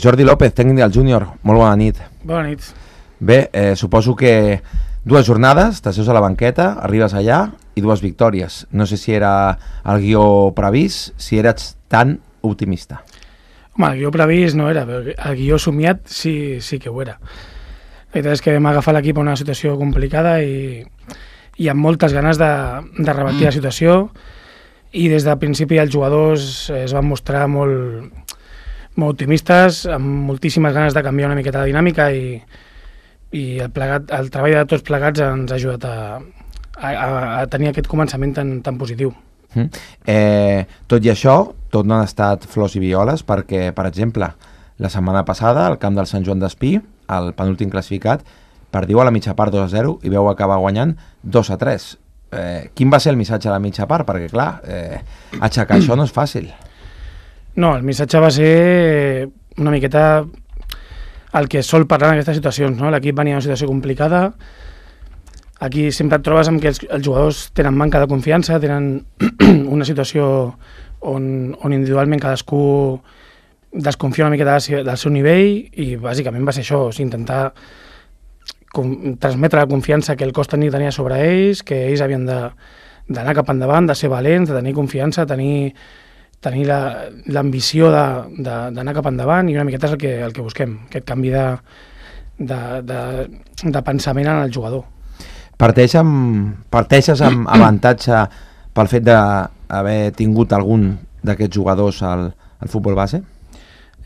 Jordi López, tècnic del júnior, molt bona nit. Bona nit. Bé, suposo que 2 jornades, t'asseus a la banqueta, arribes allà i 2 victòries. No sé si era el guió previst, si eres tan optimista. Home, el guió previst no era, però el guió somiat sí que ho era. La veritat és que vam agafar l'equip en una situació complicada i amb moltes ganes de revertir la situació, i des del principi els jugadors es van mostrar molt optimistes, amb moltíssimes ganes de canviar una miqueta la dinàmica, i el treball de tots plegats ens ha ajudat a tenir aquest començament tan positiu. Tot i això, tot no han estat flors i violes, perquè, per exemple, la setmana passada, al camp del Sant Joan d'Espí, el penúltim classificat, perdiu a la mitja part 2-0 i veu acabar guanyant 2-3. Quin va ser el missatge a la mitja part? Perquè, clar, aixecar això no és fàcil. No, el missatge va ser una miqueta el que sol parlar en aquestes situacions, no? L'equip venia en una situació complicada. Aquí sempre et trobes amb que els jugadors tenen manca de confiança, tenen una situació on individualment cadascú desconfia una miqueta del seu nivell, i bàsicament va ser això, intentar transmetre la confiança que el cos tenia sobre ells, que ells havien d'anar cap endavant, de ser valents, de tenir confiança, tenir l'ambició d'anar cap endavant, i una miqueta és el que busquem, aquest canvi de pensament en el jugador. Parteixes amb avantatge pel fet d'haver tingut algun d'aquests jugadors al futbol base?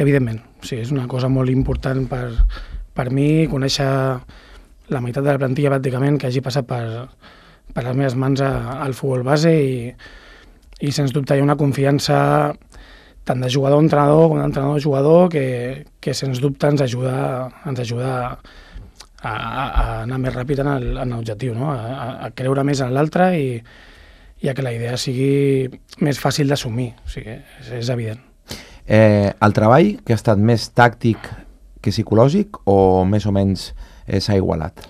Evidentment, sí, és una cosa molt important per mi, conèixer la meitat de la plantilla pràcticament que hagi passat per les meves mans al futbol base, i sens dubte hi ha una confiança tant de jugador a entrenador com d'entrenador a jugador que sens dubte ens ajuda a anar més ràpid en l'objectiu, no? A creure més en l'altre, i a que la idea sigui més fàcil d'assumir, o sigui, és evident. El treball, que ha estat més tàctic que psicològic, o més o menys s'ha igualat?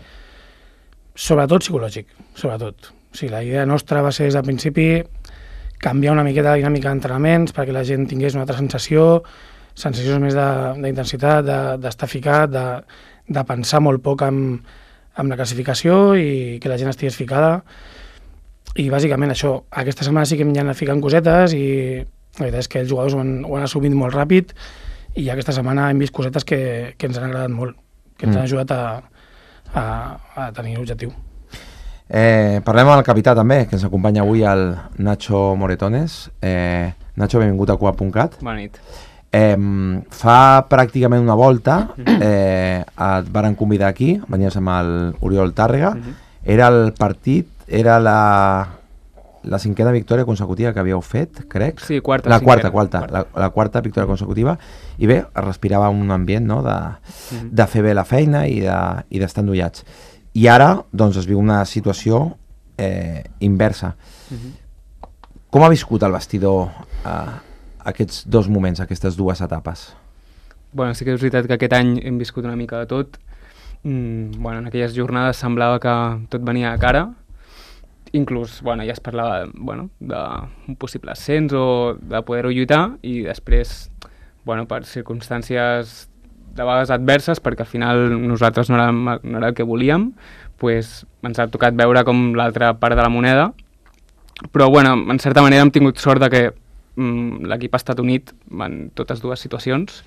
Sobretot psicològic, sobretot. O sigui, la idea nostra va ser des del principi canviar una miqueta la dinàmica d'entrenaments perquè la gent tingués una altra sensacions més d'intensitat, d'estar ficat, de pensar molt poc amb la classificació, i que la gent estigués ficada. I bàsicament això, aquesta setmana sí que m'hi han anat ficant cosetes, i la veritat és que els jugadors ho han assumit molt ràpid, i aquesta setmana hem vist cosetes que ens han agradat molt, que ens han ajudat a tenir l'objectiu. Parlem amb el capità també, que ens acompanya avui, el Nacho Moretones. Nacho, benvingut a Cuap.cat. Bona nit. Fa pràcticament una volta et varen convidar aquí, venies amb l'Oriol Tàrrega. Era el partit, era la cinquena victòria consecutiva que havíeu fet, crec. Sí, quarta. La quarta victòria consecutiva, i bé, es respirava un ambient, no?, de fer bé la feina i d'estar endollats. I ara, doncs, es viu una situació inversa. Com ha viscut el vestidor aquests 2 moments, aquestes 2 etapes? Bueno, sí que és veritat que aquest any hem viscut una mica de tot. En aquelles jornades semblava que tot venia a cara. Inclús, ja es parlava d'un possible ascens o de poder-ho lluitar, i després, per circumstàncies de vegades adverses, perquè al final nosaltres no era el que volíem, ens ha tocat veure com l'altra part de la moneda. Però, en certa manera hem tingut sort de que l'equip ha estat unit en totes 2 situacions,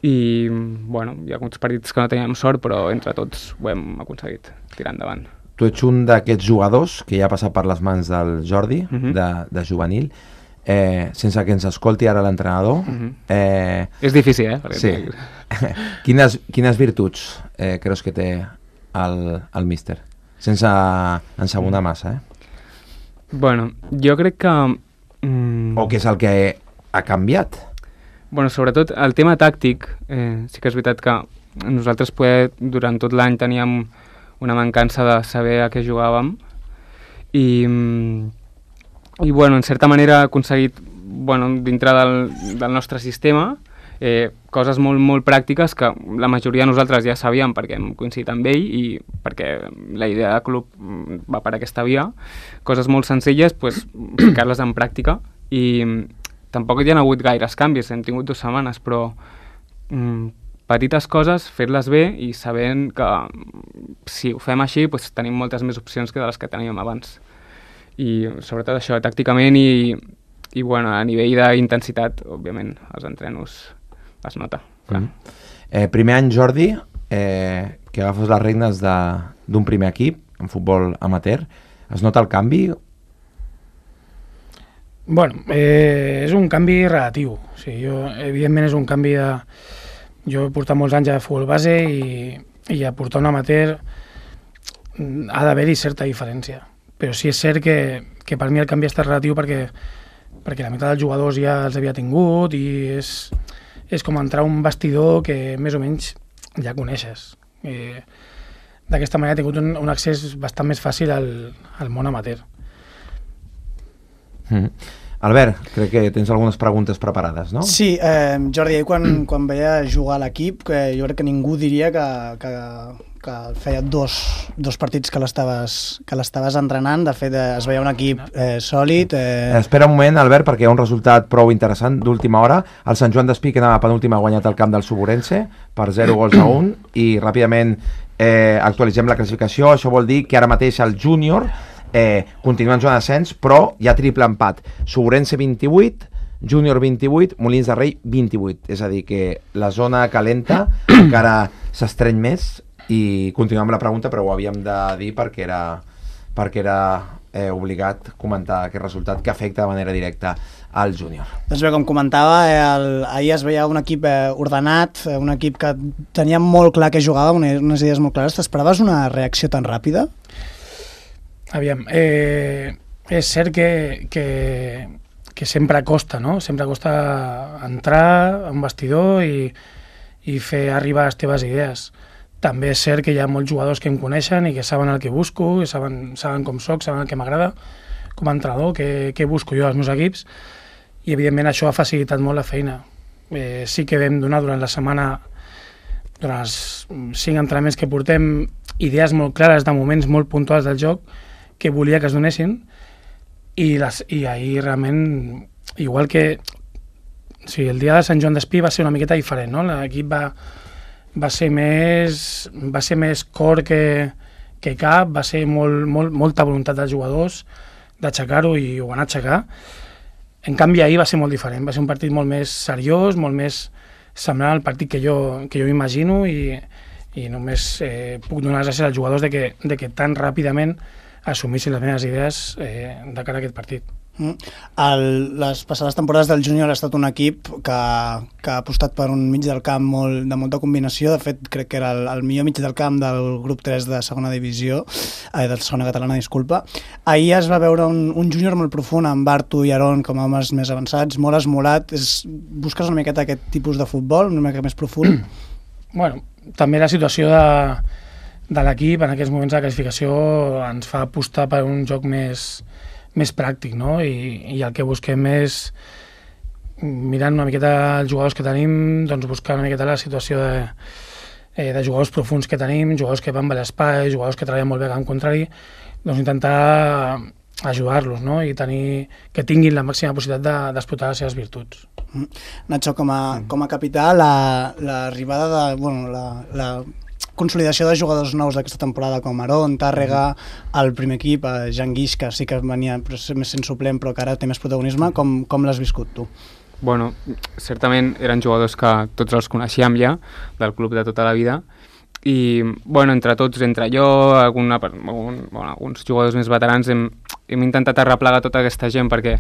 i hi ha alguns partits que no teníem sort, però entre tots ho hem aconseguit tirar endavant. Tu ets un d'aquests jugadors que ja ha passat per les mans del Jordi, de juvenil, sense que ens escolti ara l'entrenador. És difícil, Sí. Quines virtuts creus que té el míster? Sense ensabonar massa, jo crec que... O què és el que ha canviat? Sobretot el tema tàctic, sí que és veritat que nosaltres durant tot l'any teníem una mancança de saber a què jugàvem, i en certa manera ha aconseguit, dintre del nostre sistema, coses molt, molt pràctiques que la majoria de nosaltres ja sabíem perquè hem coincidit amb ell i perquè la idea de club va per aquesta via. Coses molt senzilles, ficar-les en pràctica, i tampoc hi ha hagut gaires canvis, hem tingut 2 setmanes, però petites coses, fer-les bé i sabent que si ho fem així doncs tenim moltes més opcions que de les que teníem abans. I sobretot això, tàcticament i bueno, a nivell d'intensitat, òbviament, els entrenos es nota. Primer any, Jordi, que agafes les regnes d'un primer equip en futbol amateur, es nota el canvi? Bueno, és un canvi relatiu. O sigui, evidentment és un canvi de... Jo he portat molts anys a futbol base i a portar un amateur ha d'haver-hi certa diferència. Però sí és cert que per mi el canvi ha estat relatiu perquè la meitat dels jugadors ja els havia tingut i és com entrar a un vestidor que més o menys ja coneixes. D'aquesta manera he tingut un accés bastant més fàcil al món amateur. Albert, crec que tens algunes preguntes preparades, no? Sí, Jordi, quan veia jugar a l'equip, jo crec que ningú diria que feia dos partits que l'estaves entrenant. De fet, es veia un equip sòlid. Espera un moment, Albert, perquè hi ha un resultat prou interessant d'última hora. El Sant Joan d'Espí, que anava penúltim, ha guanyat el camp del Suburense per 0-1 i ràpidament actualitzem la classificació. Això vol dir que ara mateix el júnior continua en zona d'ascens, però hi ha triple empat. Suburense 28, Júnior 28, Molins de Rei 28. És a dir, que la zona calenta encara s'estreny més i continuem amb la pregunta, però ho havíem de dir perquè era obligat comentar aquest resultat que afecta de manera directa al júnior. Doncs bé, com comentava, ahir es veia un equip ordenat, un equip que tenia molt clar que jugava, unes idees molt clares. T'esperaves una reacció tan ràpida? Aviam, és cert que sempre costa, no? Sempre costa entrar a un vestidor i fer arribar les teves idees. També és cert que hi ha molts jugadors que em coneixen i que saben el que busco, que saben com soc, saben el que m'agrada com a entrenador, què busco jo als meus equips, i evidentment això ha facilitat molt la feina. Sí que vam donar durant la setmana, durant els 5 entrenaments que portem, idees molt clares de moments molt puntuals del joc que volia que es donessin i ahir realment, igual que el dia de Sant Joan d'Espí va ser una miqueta diferent, no? L'equip va ser més cor que cap, va ser molta voluntat dels jugadors d'aixecar-ho i ho van aixecar. En canvi ahir va ser molt diferent, va ser un partit molt més seriós, molt més semblant al partit que jo imagino i només puc donar les gràcies als jugadors de que tan ràpidament assumissin les meves idees de cara a aquest partit. Les passades temporades del júnior ha estat un equip que ha apostat per un mig del camp de molta combinació. De fet, crec que era el millor mig del camp del grup 3 de segona divisió, de segona catalana, disculpa. Ahir es va veure un júnior molt profund amb Bartu i Aron com a homes més avançats, molt esmolat. Busques una miqueta aquest tipus de futbol, una mica més profund? Bueno, també la situació de l'equip en aquests moments de la classificació ens fa apostar per un joc més pràctic, no? I el que busquem és, mirant una miqueta els jugadors que tenim, doncs buscar una miqueta la situació de jugadors profuns que tenim, jugadors que van per l'espai, jugadors que treballen molt bé en contrari, doncs intentar ajudar-los, no? I que tinguin la màxima possibilitat d'explotar les seves virtuts. Nacho, com a capità, l'arribada la consolidació de jugadors nous d'aquesta temporada com Aron, Tàrrega, el primer equip, Jan Guix, que sí que venia més sent suplent però que ara té més protagonisme, com l'has viscut tu? Bueno, certament eren jugadors que tots els coneixíem ja, del club de tota la vida, i bueno, entre tots, entre jo, alguns jugadors més veterans, hem intentat arreplegar tota aquesta gent perquè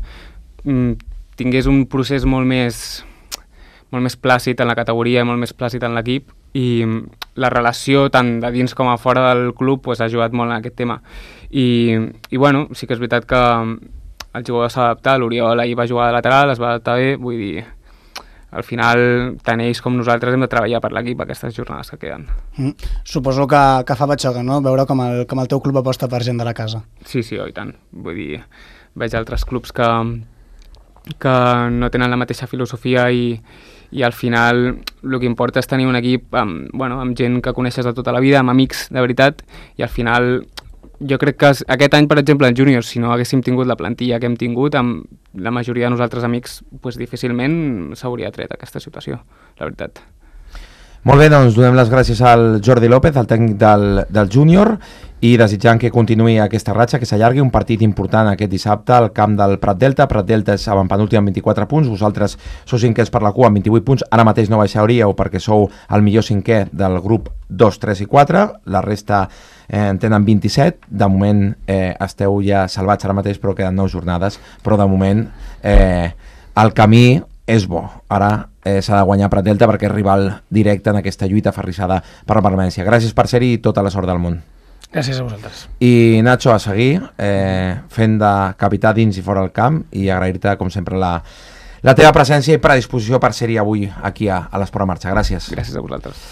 tingués un procés molt més plàcid en la categoria, molt més plàcid en l'equip, i la relació tant de dins com a fora del club ha ajudat molt en aquest tema. I bueno, sí que és veritat que el jugador s'ha adaptat, l'Oriol ahir va jugar de lateral, es va adaptar bé, vull dir, al final tant ells com nosaltres hem de treballar per l'equip aquestes jornades que queden. Suposo que fa batxoca, no?, veure com el teu club aposta per gent de la casa. Sí, i tant. Vull dir, veig altres clubs que no tenen la mateixa filosofia i al final el que importa és tenir un equip amb gent que coneixes de tota la vida, amb amics de veritat, i al final jo crec que aquest any, per exemple, en júnior, si no haguéssim tingut la plantilla que hem tingut, amb la majoria de nosaltres amics, difícilment s'hauria tret aquesta situació, la veritat. Molt bé, doncs donem les gràcies al Jordi López, el tècnic del júnior, i desitjant que continuï aquesta ratxa, que s'allargui, un partit important aquest dissabte al camp del Prat Delta. Prat Delta és avantpenúltim amb 24 punts, vosaltres sou cinquens per la cua amb 28 punts, ara mateix no baixaríeu perquè sou el millor cinquè del grup 2, 3 i 4, la resta en tenen 27, de moment esteu ja salvats ara mateix, però queden 9 jornades, però de moment el camí és bo. Ara s'ha de guanyar Prat Delta perquè és rival directe en aquesta lluita aferrissada per la permanència. Gràcies per ser-hi i tota la sort del món. Gràcies a vosaltres. I Nacho, a seguir fent de capità dins i fora del camp, i agrair-te com sempre la teva presència i predisposició per ser-hi avui aquí a l'Esport en Marxa. Gràcies. Gràcies a vosaltres.